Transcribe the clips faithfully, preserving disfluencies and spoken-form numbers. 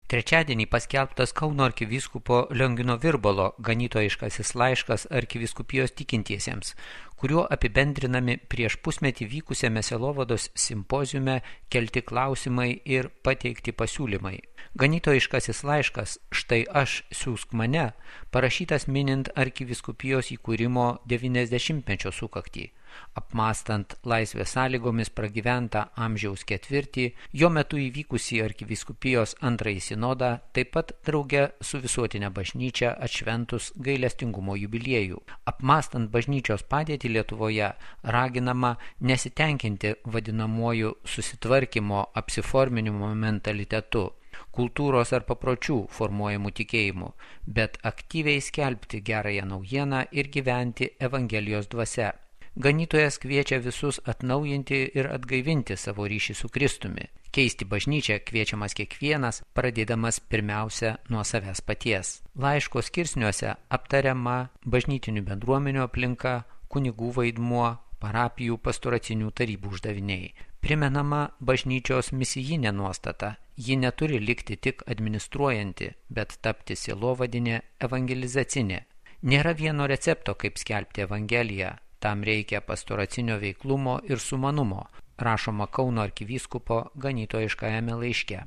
Trečiadienį paskelbtas Kauno arkivyskupo Liongino Virbalo ganytojiškasis laiškas arkivyskupijos tikintiesiems, kuriuo apibendrinami prieš pusmetį vykusiame sielovados simpoziume kelti klausimai ir pateikti pasiūlymai. Ganytojiškasis laiškas "Štai aš, siųsk mane" parašytas minint arkivyskupijos įkūrimo devyniasdešimtmečio sukaktį. Apmąstant laisvės sąlygomis pragyventą amžiaus ketvirtį, jo metu įvykusį arkivyskupijos antrąjį sinodą, taip pat drauge su visuotinė bažnyčia atšventus gailestingumo jubiliejų. Apmąstant bažnyčios padėtį Lietuvoje, raginama nesitenkinti vadinamuoju susitvarkymo apsiforminimo mentalitetu, kultūros ar papročių formuojamų tikėjimų, bet aktyviai skelbti gerąją naujieną ir gyventi Evangelijos dvasia. Ganytojas kviečia visus atnaujinti ir atgaivinti savo ryšį su Kristumi. Keisti bažnyčią kviečiamas kiekvienas, pradėdamas pirmiausia nuo savęs paties. Laiško skirsniuose aptariama bažnytinių bendruomenių aplinka, kunigų vaidmuo, parapijų pastoracinių tarybų uždaviniai. Primenama bažnyčios misijinė nuostata. Ji neturi likti tik administruojanti, bet tapti sielovadinė evangelizacinė. Nėra vieno recepto, kaip skelbti Evangeliją. Tam reikia pastoracinio veiklumo ir sumanumo, rašoma Kauno arkivyskupo ganytojiškajame laiške.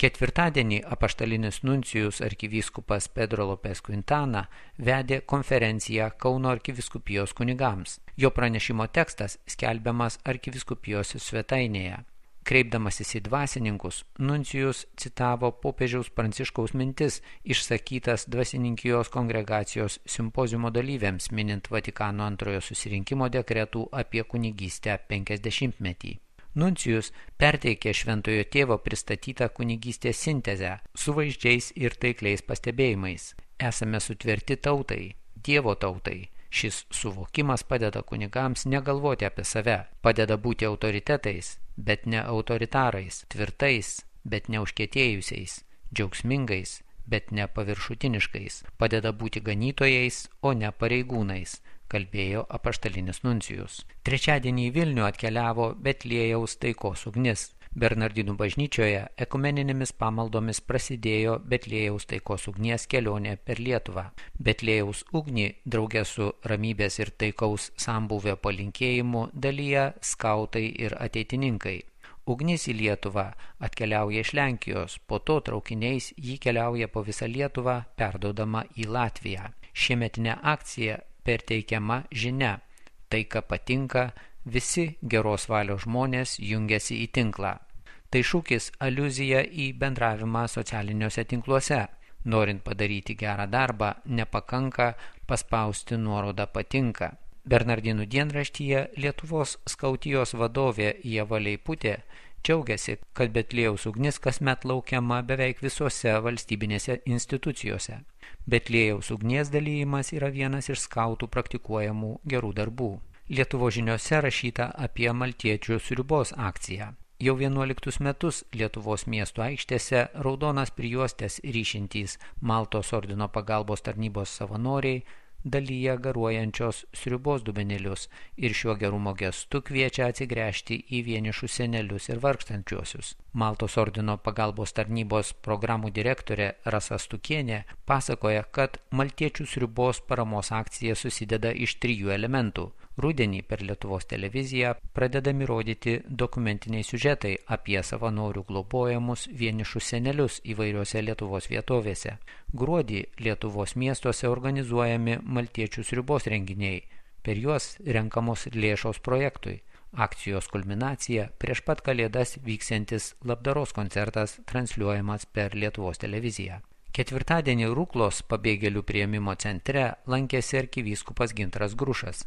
Ketvirtadienį apaštalinis nuncijus arkivyskupas Pedro Lopes Quintana vedė konferenciją Kauno arkivyskupijos kunigams. Jo pranešimo tekstas skelbiamas arkivyskupijos svetainėje. Kreipdamasis į dvasininkus, nuncijus citavo popiežiaus Pranciškaus mintis išsakytas dvasininkijos kongregacijos simpoziumo dalyviams minint Vatikano antrojo susirinkimo dekretų apie kunigystę penkiasdešimtmetį. Nuncijus perteikė šventojo tėvo pristatytą kunigystės sintezę su vaizdžiais ir taikliais pastebėjimais. Esame sutverti tautai, Dievo tautai. Šis suvokimas padeda kunigams negalvoti apie save, padeda būti autoritetais, bet ne autoritarais, tvirtais, bet ne užkietėjusiais, džiaugsmingais, bet ne paviršutiniškais, padeda būti ganytojais, o ne pareigūnais, kalbėjo apaštalinis nuncijus. Trečiadienį į Vilnių atkeliavo Betliejaus taikos ugnis. Bernardinų bažnyčioje ekumeninėmis pamaldomis prasidėjo Betliejaus taikos ugnies kelionė per Lietuvą. Betliejaus ugnį drauge su ramybės ir taikaus sambūvio palinkėjimu dalyja skautai ir ateitininkai. Ugnis į Lietuvą atkeliauja iš Lenkijos, po to traukiniais jį keliauja po visą Lietuvą, perduodama į Latviją. Šiemetinė akcija perteikiama žinia. Taika patinka, visi geros valios žmonės jungiasi į tinklą. Tai šūkis aliuzija į bendravimą socialiniuose tinkluose. Norint padaryti gerą darbą, nepakanka paspausti nuorodą patinka. Bernardinų dienraštyje Lietuvos skautijos vadovė Ieva Leiputė džiaugiasi, kad Betliejaus ugnis kasmet laukiama beveik visose valstybinėse institucijose. Betliejaus ugnies dalyjimas yra vienas iš skautų praktikuojamų gerų darbų. Lietuvos žiniose rašyta apie maltiečių sriubos akciją. Jau vienuoliktus metus Lietuvos miesto aikštėse raudonas prijuostės ryšintys Maltos ordino pagalbos tarnybos savanoriai dalyja garuojančios sriubos dubenėlius ir šiuo gerumo gestu kviečia atsigręžti į vienišus senelius ir vargstančiuosius. Maltos ordino pagalbos tarnybos programų direktorė Rasa Stukienė pasakoja, kad maltiečių sriubos paramos akcija susideda iš trijų elementų. Rudenį per Lietuvos televiziją pradedami rodyti dokumentiniai siužetai apie savanorių globojamus vienišus senelius įvairiose Lietuvos vietovėse. Gruodį Lietuvos miestuose organizuojami maltiečių sriubos renginiai. Per juos renkamos lėšos projektui. Akcijos kulminacija prieš pat kalėdas vyksiantis labdaros koncertas transliuojamas per Lietuvos televiziją. Ketvirtadienį Ruklos pabėgėlių priėmimo centre lankėsi arkivyskupas Gintaras Grušas.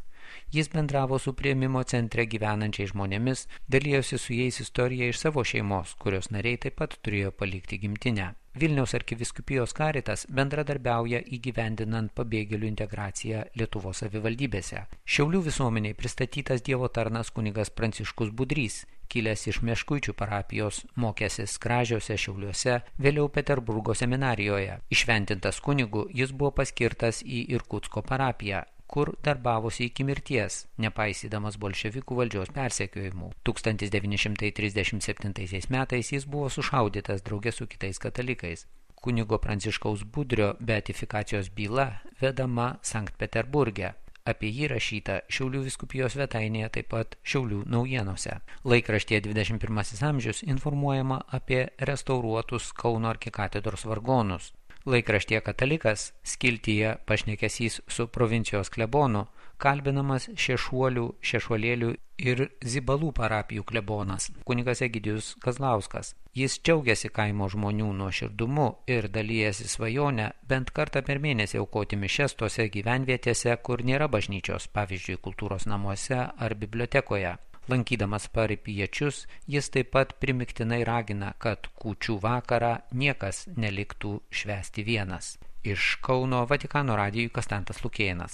Jis bendravo su priėmimo centre gyvenančiais žmonėmis, dalijosi su jais istoriją iš savo šeimos, kurios nariai taip pat turėjo palikti gimtinę. Vilniaus arkivyskupijos Karitas bendradarbiauja įgyvendinant pabėgėlių integraciją Lietuvos savivaldybėse. Šiaulių visuomeniai pristatytas Dievo tarnas kunigas Pranciškus Budrys, kilęs iš Meškuičių parapijos, mokęsis Kražiuose, Šiauliuose, vėliau Peterburgo seminarijoje. Išventintas kunigu jis buvo paskirtas į Irkutsko parapiją, kur darbavosi iki mirties, nepaisydamas bolševikų valdžios persekiojimų. tūkstantis devyni šimtai trisdešimt septintaisiais metais jis buvo sušaudytas drauge su kitais katalikais. Kunigo Pranciškaus Budrio beatifikacijos byla vedama Sankt Peterburge. Apie jį rašyta Šiaulių vyskupijos svetainėje, taip pat Šiaulių naujienose. Laikraštyje dvidešimt pirmasis amžius informuojama apie restauruotus Kauno arkikatedros vargonus. Laikraštyje Katalikas skiltyje pašnekesys su provincijos klebonu kalbinamas Šešuolių, Šešuolėlių ir Zibalų parapijų klebonas, kunigas Egidijus Kazlauskas. Jis džiaugiasi kaimo žmonių nuoširdumu ir dalijasi svajonę bent kartą per mėnesį aukoti mišias tose gyvenvietėse, kur nėra bažnyčios, pavyzdžiui, kultūros namuose ar bibliotekoje. Lankydamas parapijiečius, jis taip pat primiktinai ragina, kad kūčių vakarą niekas neliktų švęsti vienas. Iš Kauno Vatikano radijui Konstantas Lukėnas.